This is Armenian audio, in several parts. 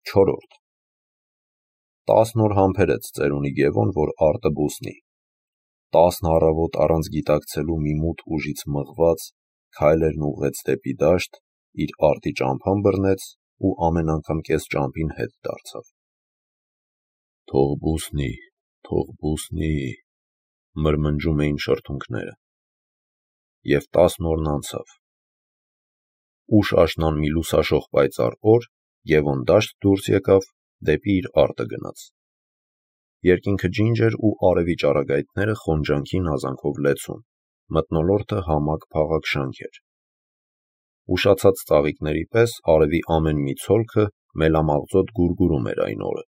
4. 10 օր համբերեց ծերունի Գևոն, որ արտը բուսնի։ 10 առավոտ առանց գիտակցելու մի մութ ուժից մղված քայլերն ուղղեց դեպի դաշտ, իր արտի ճամփան բռնեց ու ամեն անգամ կես ճամփին հետ դարձավ։ Թող բուսնի, մրմնջում էին շրթունքները։ Եվ 10 օրն անցավ։ Ուշ աշնան մի լուսաշող պայծառ օր Գևոն դաշտ դուրս եկավ, դեպի իր արտը գնաց։ Երկինքը ջինջ էր ու արևի ճառագայթները խոնջանքին հազանքով լեցուն, մթնոլորտը համակ փաղակ շանք էր։ Ուշացած ծաղիկների պես արևի ամեն մի ցոլքը մելամաղձոտ գուրգուրում էր այն օրը։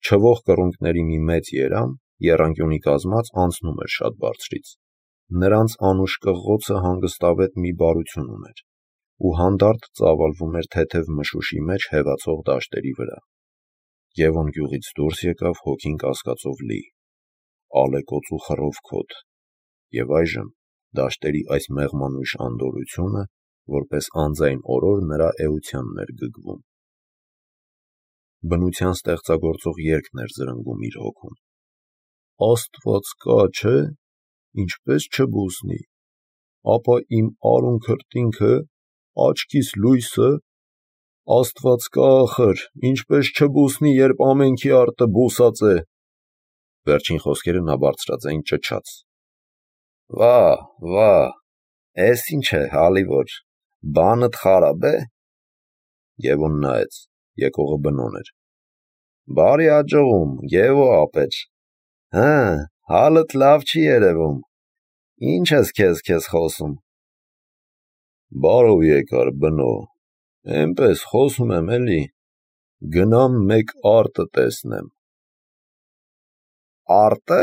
Չվող կռունկների մի մեծ երամ, եռանկյունի կազմած, անցնում էր շատ բարձրից։ Նրանց անուշ կղղոցը հանգստավետ մի բարություն ուներ ու հանդարտ ծավալվում էր թեթև մշուշի մեջ հևացող դաշտերի վրա։ Գևոն գյուղից դուրս եկավ հոգին կասկածով լի, ալեկոծ ու խռովքոտ, և այժմ դաշտերի այս մեղմանույշ անդորրությունը, որպես անձայն օրոր նրա էությանն էր գգվում։ Բնության ստեղծագործող երգն էր զրնգում իր հոգում։ Աստված կա, չէ՞, ինչպես չբուսնի, ապա իմ արուն քրտինքը, աչքիս լույսը, Աստված կա ախր, ինչպես չբուսնի, երբ ամենքի արտը բուսած է։ Վերջին խոսքերը նա բարձրաձայն ճչաց։ Վա, էս ինչ է, հալիվոր, բանդ խարաբ է։ Գևոն նայեց, եկողը բնոն էր։ Բարի աջողում, Գևո ապեջ։ Հալդ լավ չի երևում։ Ինչ ես քեզ խոսում։ Բարով եկար, բնո, էնպես խոսում եմ էլի, գնամ մեկ արտը տեսնեմ։ Արտը։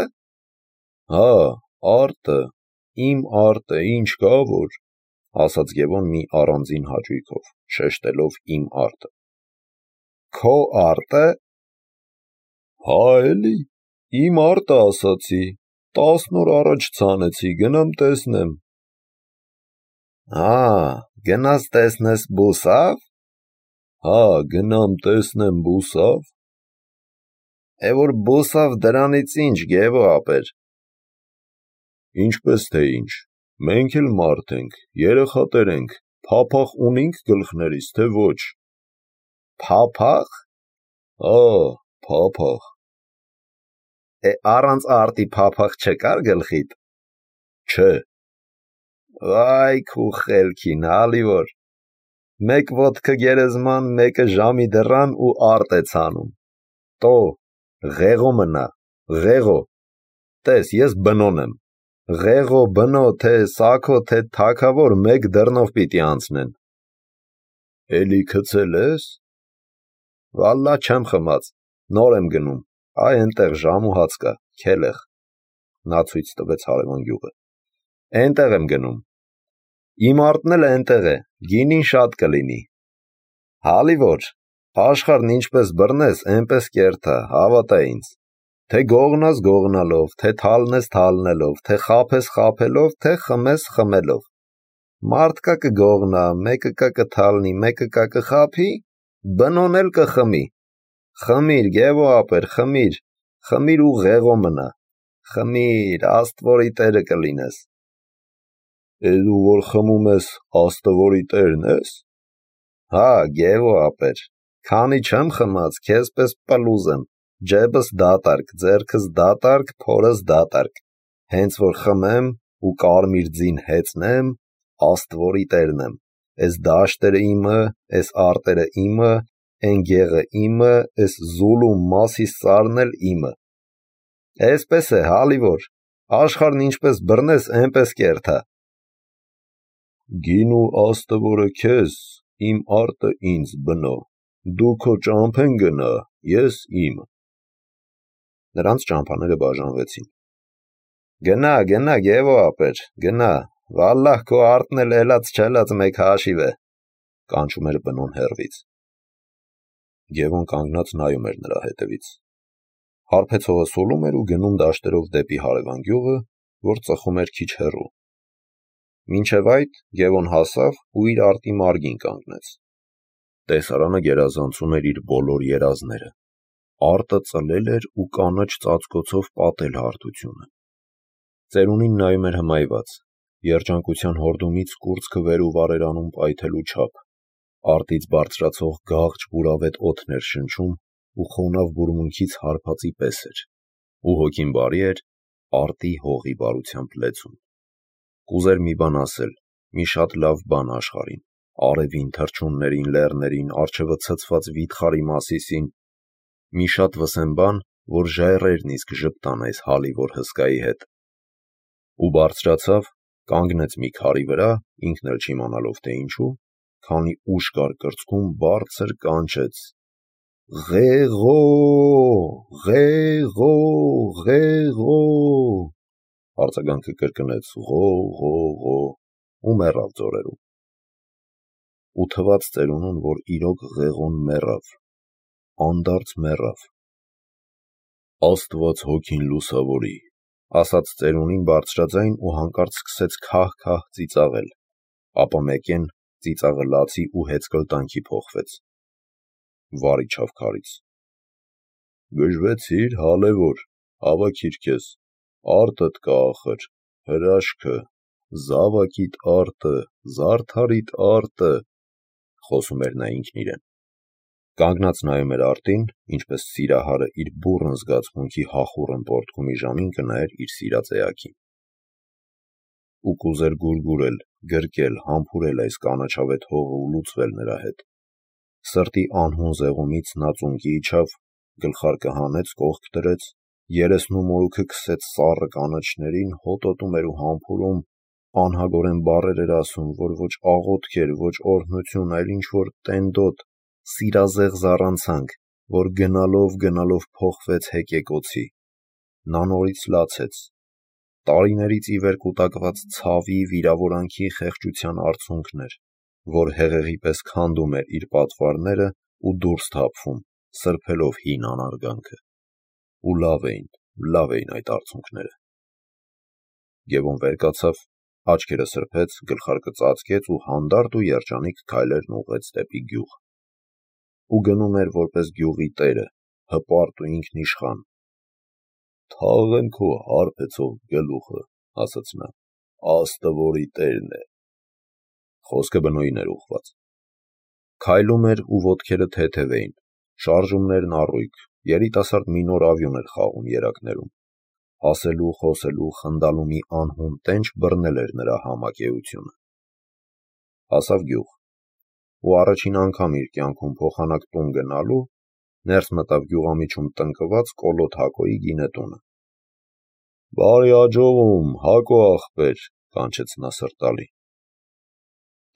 Հա, արտը, իմ արտը, ինչ կա որ, ասաց Գևոն մի առանձին հաճույքով, շեշտելով իմ արտը։ Քո արտը։ Հա էլի, իմ արտը ասացի, 10 օր առաջ ցանեցի, գնամ տեսնեմ։ Գնաս տեսնես բուսավ։ Հա, գնամ տեսնեմ բուսավ։ Որ բուսավ դրանից ինչ, Գևո ապեր։ Ինչպես թե ինչ, մենք էլ մարդ ենք, երեխատեր ենք, փափախ ունինք գլխներիս, թե ոչ։ Փափախ։ Հա, փափախ։ Առանց արտի փափախ չկար գլխիդ։ Չէ։ Վայ քու խելքին, հալիվոր, մեկ ոտքը գերեզման, մեկը ժամի դռան ու արտ է ցանում։ Տո, ղեղո մնա, ղեղո, տես, ես բնոն եմ, ղեղո, բնո, թե սաքո, թե թագավոր մեկ դռնով պիտի անցնեն։ Էլի քցել ես։ Վալլա չեմ խմած, նոր եմ գնում, այնտեղ ժամ ու հաց կա, քելեղ։ Նա ցույց տվեց հարևան գյուղը։ Այնտեղ եմ գնում։ Իմ արտն էլ այնտեղ է, գինին շատ կլինի։ Հալիվոր, աշխարհն ինչպես բռնես, այնպես կերթա, հավատա ինձ։ Թե գողնաս գողնալով, թե թալնես թալնելով, թե խաբես խաբելով, թե խմես խմելով։ Մարդկա կգողնա, մեկը կա կթալնի, մեկը կա կխաբի, բնոն էլ կխմի։ Խմիր, Գևո ապեր, խմիր ու ղեղո մնա։ Խմիր, Աստվորի տերը կլինես։ Դու որ խմում ես, Աստվորի տերն ես։ Հա, Գևո ապեր, քանի չեմ խմած, քեզ պես պլուզ եմ, ջեբս դատարկ, ձեռքս դատարկ, փորս դատարկ, հենց որ խմեմ ու կարմիր ձին հեծնեմ, Աստվորի տերն եմ, էս դաշտերը իմը, էս արտերը իմը, էն գեղը իմը, էս զուլու մասի սարն էլ իմը։ Էսպես է, հալիվոր, աշխարհն ինչպես բռնես, այնպես կերթա։ Գինու Աստվորը քեզ, իմ արտը ինձ, բնո, դու քո ճամփեն գնա, ես իմ։ Նրանց ճամփաները բաժանվեցին։ Գնա, Գևո ապեր, գնա, վալլահ քո արտն էլ էլած չելած մեկ հաշիվ է, կանչում էր բնոն հեռվից։ Գևոն կանգնած նայում էր նրա հետևից։ Հարբեցողը սուլում էր ու գնում դաշտերով դեպի հարևան գյուղը, որ ծխում էր քիչ հեռու։ Մինչև այդ Գևոն հասավ ու իր արտի մարգին կանգնեց։ Տեսարանը գերազանցում էր իր բոլոր երազները։ Արտը ծլել էր ու կանաչ ծածկոցով պատել հարթությունը։ Ծերունին նայում էր հմայված, երջանկության հորդումից կուրծքը վեր ու վարերանում պայթելու չափ։ Արտից բարձրացող գաղջ բուրավետ օդն էր շնչում ու խոնավ բուրմունքից հարբածի պես էր։ Ու հոգին բարի էր արտի հողի բարությամբ լեցուն։ Կուզեր մի բան ասել, մի շատ լավ բան աշխարհին, արևին, թռչուններին, լեռներին, առջևը ցցված վիթխարի Մասիսին, մի շատ վսեմ բան, որ ժայռերն իսկ ժպտան այս հալիվոր հսկայի հետ։ Ու բարձրացավ, կանգնեց մի քարի վրա, ինքն էլ չիմանալով թե ինչու, քանի ուժ կար կրծքում, բարձր կանչեց. «Ղեղո, ղեղո, ղեղո»։ Արձագանքը կրկնեց «ղո, ղո, ղո» ու մեռավ ձորերում։ Ու թվաց ծերունուն, որ իրոք ղեղոն մեռավ, անդարձ մեռավ։ «Աստված հոգին լուսավորի», ասաց ծերունին բարձրաձայն ու հանկարծ սկսեց քահ-քահ ծիծաղել, ապա մեկեն ծիծաղը լացի ու հեծկլտանքի փոխվեց։ Վար իջավ քարից։ «Գժվեցիր, հալևոր, հավաքիր քեզ, արտդ կա ախր, հրաշքը, զավակիդ արտը, զարդարիդ արտը», խոսում էր նա ինքն իրեն։ Կանգնած նայում էր արտին, ինչպես սիրահարը իր բուռն զգացմունքի հախուռն պոռթկումի ժամին կնայեր իր սիրած էակին։ Ու կուզեր գուրգուրել, գրկել, համբուրել այս կանաչավետ հողը ու լուծվել նրա հետ։ Սրտի անհուն զեղումից նա ծունկի իջավ, գլխարկը հանեց, կողք դրեց, երեսն ու մորուքը քսեց սառը կանաչներին, հոտոտում էր ու համբուրում, անհագորեն բառեր էր ասում, որ ոչ աղոթք էր, ոչ օրհնություն, այլ ինչ-որ տենդոտ, սիրազեղ զառանցանք, որ գնալով փոխվեց հեկեկոցի։ Նա նորից լացեց։ Տարիներից ի վեր կուտակված ցավի, վիրավորանքի, խեղճության արցունքն էր, որ հեղեղի պես քանդում էր իր պատվարները ու դուրս թափվում, սրբելով հին անարգանքը։ Ու լավ էին այդ արցունքները։ Գևոն վեր կացավ, աչքերը սրբեց, գլխարկը ծածկեց ու հանդարտ ու երջանիկ քայլերն ուղղեց դեպի գյուղ։ Ու գնում էր որպես գյուղի տերը, հպարտ ու ինքնիշխան։ «Թաղեմ քո հարբեցող գլուխը», ասաց նա, «աստը որի տերն է»։ Խոսքը բնույն էր ուղղված։ Քայլում էր ու ոտքերը թեթև էին, շարժումներն առույգ, երիտասարդ մի նոր ավյուն էր խաղում երակներում։ Ասելու, խոսելու, խնդալու մի անհուն տենչ բռնել էր նրա համակեությունը։ Հասավ գյուղ։ Ու առաջին անգամ իր կյանքում փոխանակ տուն գնալու ներս մտավ գյուղամիջում տնկված Կոլոտ Հակոյի գինետունը։ «Բարի աջողում, Հակո ախպեր», կանչեց նա սրտալի։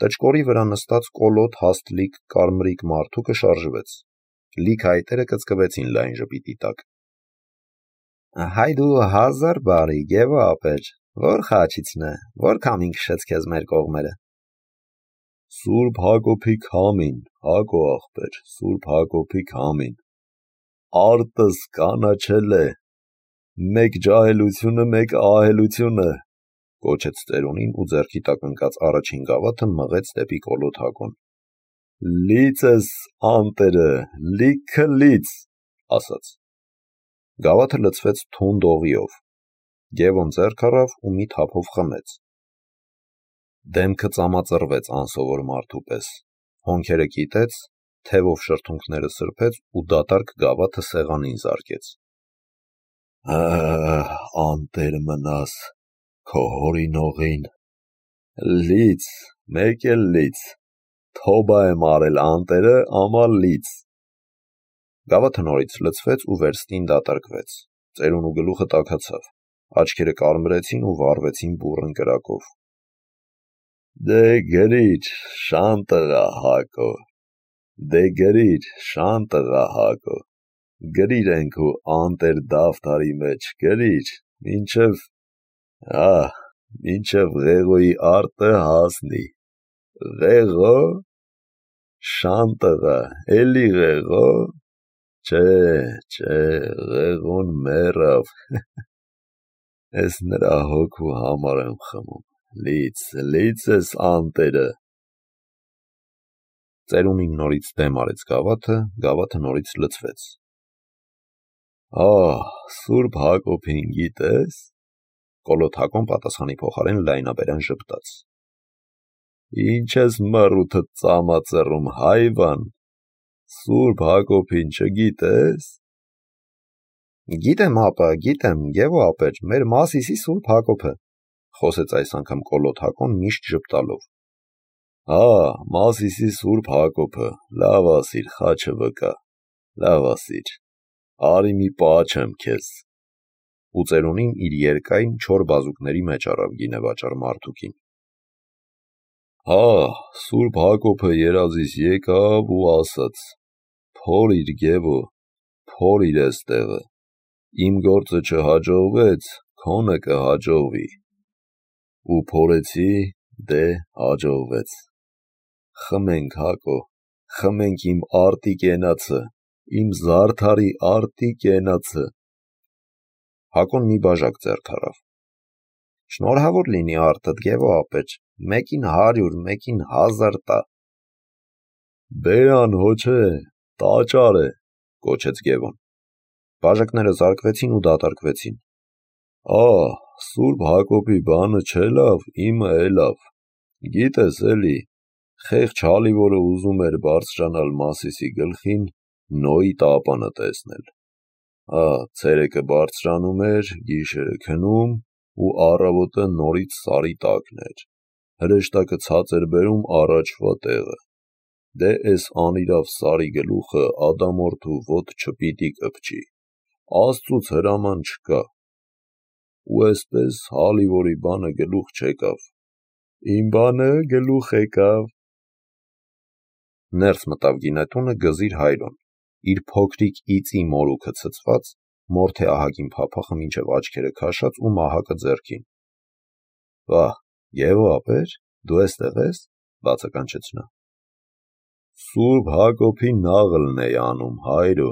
Տճկորի վրա նստած Կոլոտ հաստլիկ կարմրիկ մարդուկը շարժվեց։ Լիք հայտերը կծկվեցին լայն ժպիտի տակ։ «Հայ դու 1000 բարի, Գևո ապեր, որ խաչիցն է, որ քամին քշեց քեզ մեր կողմերը»։ «Սուրբ Հակոբի քամին, Հակո ախպեր, Սուրբ Հակոբի քամին, արտս կանաչել է, մեկ ջահելությունը, մեկ ահելությունը», կոչեց ծերունին ու ձեռքի տակ ընկած առաջին գավաթը մղեց դեպի Կոլոտ Հակոն։ «Լիծ ես, անտերը, լիքը լիծ», ասաց։ Գավաթը լցվեց թունդ օղիով։ Գևոն ձեռք առավ ու մի թափով խմեց։ Դեմքը ծամածռվեց անսովոր մարդու պես, հոնքերը կիտեց, թևով շրթունքները սրբեց ու դատարկ գավաթը սեղանին զարկեց։ «Անտեր մնաս, քո հորինողին, լիծ, մեկ էլ լիծ, թոբա եմ արել անտերը, ամալ լիծ»։ Գավաթը նորից լցվեց ու վերստին դատարկվեց։ Ծերունու գլուխը տաքացավ, աչքերը կարմրեցին ու վառվեցին բուռն կրակով։ «Դե գրիր, շան տղա Հակո, դե գրիր, շան տղա Հակո, գրիր ենքու անտեր դավթարի մեջ, գրիր, մինչև Ղեղոյի արտը հասնի։ Ղեղո, շան տղա, էլի Ղեղո, չէ, Ղեղոն մեռավ, ես նրա հոգու համար եմ խմում, լիծ ես անտերը»։ Ծերունին նորից դեմ արեց գավաթը նորից լցվեց։ Ահ, Սուրբ Հակոբին գիտես, Կոլոտ Հակոն պատասխանի փոխարեն լայնաբերան ժպտաց։ Ինչ ես մռութդ ծամածռում, հայվան, Սուրբ Հակոբին չգիտես։ Գիտեմ, ապա, գիտեմ, Գևո ապեր, մեր Մասիսի Սուրբ Հակոբը, խոսեց այս անգամ Կոլոտ Հակոն միշտ ժպտալով։ Մասիսի Սուրբ Հակոբը, լավ ասիր, խաչը վկա, լավ ասիր, արի մի պաչեմ քեզ։ Ու ծերունին իր երկայն չոր բազուկների մեջ առավ գինեվաճառ մարդուկին։ Սուրբ Հակոբը երազիս եկավ ու ասաց. Փորիր Գևո, փորիր էստեղը, իմ գործը չհաջողվեց, քոնը կհաջողվի։ Ու փորեցի, դե հաջողվեց։ Խմենք Հակո, խմենք իմ արտի կենացը, իմ զարդարի արտի կենացը։ Հակոն մի բաժակ ձեռք առավ։ Շնորհավոր լինի արտդ, Գևո ապեր, մեկին 100, մեկին 1000 տա։ Բերան հոչե, տաճար է, կոչեց Գևոն։ Բաժակները զարկվեցին ու դատարկվեցին։ Սուրբ Հակոբի բանը չէ լավ, իմը է լավ։ Գիտես էլի, խեղճ հալիվորը ուզում էր բարձրանալ Մասիսի գլխին, Նոյի տապանը տեսնել։ Ցերեկը բարձրանում էր, գիշերը քնում ու առավոտը նորից սարի տակն էր։ Հրեշտակը ցած էր բերում առաջվա տեղը։ Դե էս անիրավ սարի գլուխը ադամորդու ոտ չպիտի կպչի։ Աստծուց հրաման չկա։ Ու էսպես հալիվորի բանը գլուխ չեկավ։ Իմ բանը գլուխ եկավ։ Ներս մտավ գինետունը Գզիր Հայրոն, իր փոքրիկ իծի մորուքը ցցված, մորթե ահագին փափախը մինչև աչքերը քաշած ու մահակը ձեռքին։ Վահ, Գևո ապեր, դու էստեղ ես, բացականչեց նա։ Սուրբ Հակոբի նաղլն էի անում, Հայրո։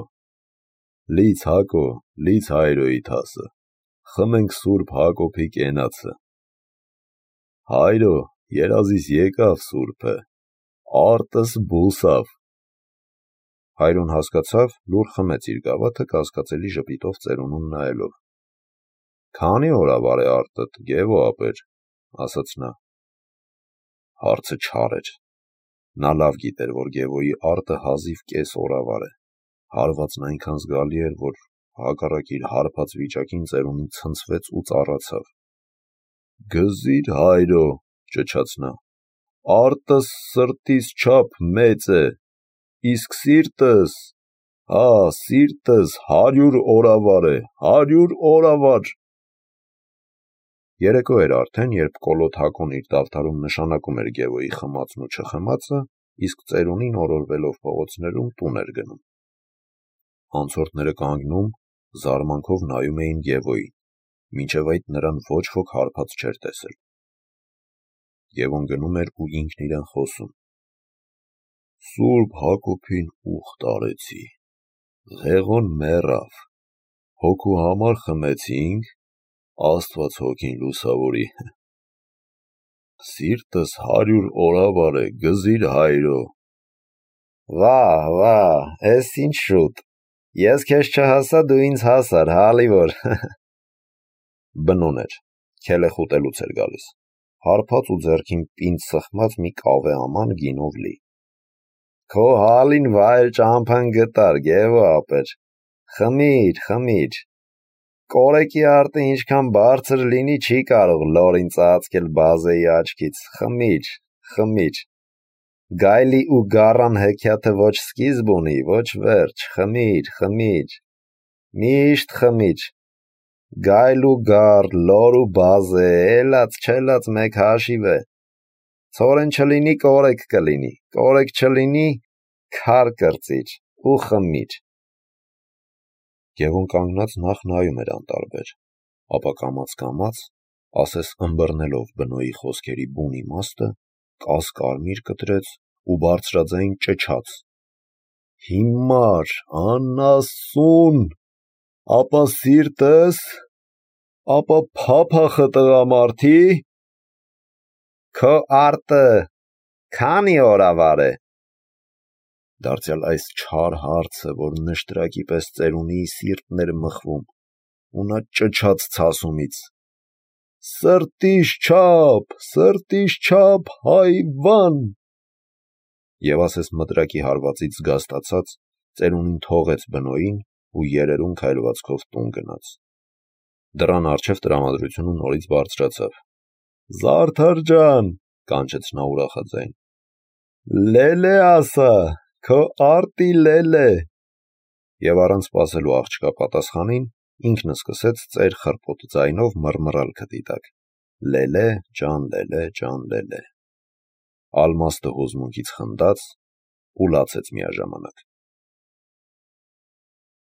Լից Հակո, լից Հայրոյի թասը, խմենք Սուրբ Հակոբի կենացը։ Հայրո, երազիս եկավ Սուրբը, արտս բուսավ։ Հայրոն հասկացավ, լուռ խմեց իր գավաթը կասկածելի ժպիտով ծերունուն նայելով։ Քանի օրավար է արտդ, Գևո ապեր, ասաց նա։ Հարցը չար էր։ Նա լավ գիտեր, որ Գևոյի արտը հազիվ կես օրավար է։ Հարվածն այնքան զգալի էր, որ հակառակ իր հարբած վիճակին ծերունին ցնցվեց ու ծառացավ։ Գզիր Հայրո, ճչաց նա, արտս սրտիս չափ մեծ է, իսկ սիրտս, սիրտս 100 օրավար է, 100 օրավար։ Երեկո էր արդեն, երբ Կոլոտ Հակոն իր դավթարում նշանակում էր Գևոյի խմածն ու չխմածը, իսկ ծերունին օրորվելով փողոցներում տուն էր գնում։ Անցորդները կանգնում, զարմանքով նայում էին Գևոյին, մինչև այդ նրան ոչ ոք հարբած չէր տեսել։ Գևոն գնում էր ու ինքն իրեն խոսում. Սուրբ Հակոբին ուխտ արեցի, Ղեղոն մեռավ, հոգու համար խմեցինք, Աստված հոգին լուսավորի։ Սիրտս 100 օրավար է, Գզիր Հայրո։ Վահ, էս ինչ շուտ, ես քեզ չհասա, դու ինձ հասար, հալիվոր։ Բնոն էր, քելեխ ուտելուց էր գալիս, հարբած ու ձեռքին պինդ սխմած մի կավե աման գինով լի։ Քո հալին վայր ճամփան գտար, Գևո ապեր, խմիր։ Կորեկի արտը ինչքան բարձր լինի, չի կարող լորին ծածկել բազեի աչքից, խմիր։ Գայլի ու գառան հեքիաթը ոչ սկիզբ ունի, ոչ վերջ, խմիր, միշտ խմիր։ Գայլ ու գառ, լոր ու բազե, էլած մեկ հաշիվ է։ Ցորեն չլինի, կորեկ կլինի, կորեկ չլինի, քար կրծիր ու խմիր։ Գևոն կանգնած նախ նայում էր անտարբեր, ապա կամաց, ասես ըմբռնելով բնոյի խոսքերի բուն իմաստը, կասկարմիր կտրեց ու բարձրաձայն ճչաց. Հիմար, անասուն, ապա սիրտս, ապա փափախը տղամարդի, քո արտը քանի օրավար է։ Դարձյալ այս չար հարցը, որ նշտրակի պես ծերունիի սիրտն էր մխվում, ու նա ճչաց ցասումից. Սրտիս չափ, հայվան… Եվ ասես մտրակի հարվածից զգաստացած, ծերունին թողեց բնոյին ու երերուն քայլվածքով տուն գնաց։ Դռան առջև տրամադրությունը նորից բարձրացավ։ Զարդար ջան, կանչեց նա ուրախաձայն, լելե ասա, քո արտի լելե… Եվ առանց սպասելու աղջկա պատասխանին, ինքն սկսեց ծեր խռպոտ ձայնով մռմռալ քթի տակ. լելե, ջան, լելե, ջան, լելե… Ալմաստը հուզմունքից խնդաց ու լացեց միաժամանակ։